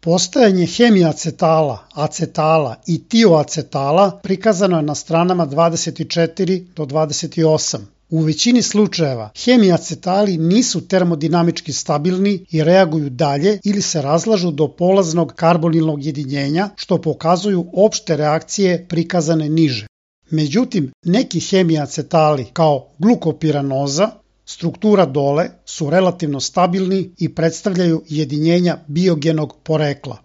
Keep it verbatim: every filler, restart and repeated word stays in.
Postojanje hemiacetala, acetala i tioacetala prikazano je na stranama dvadeset četiri do dvadeset osam. U većini slučajeva hemiacetali nisu termodinamički stabilni i reaguju dalje ili se razlažu do polaznog karbonilnog jedinjenja, što pokazuju opšte reakcije prikazane niže. Međutim, neki hemiacetali kao glukopiranoza, struktura dole, su relativno stabilni i predstavljaju jedinjenja biogenog porekla.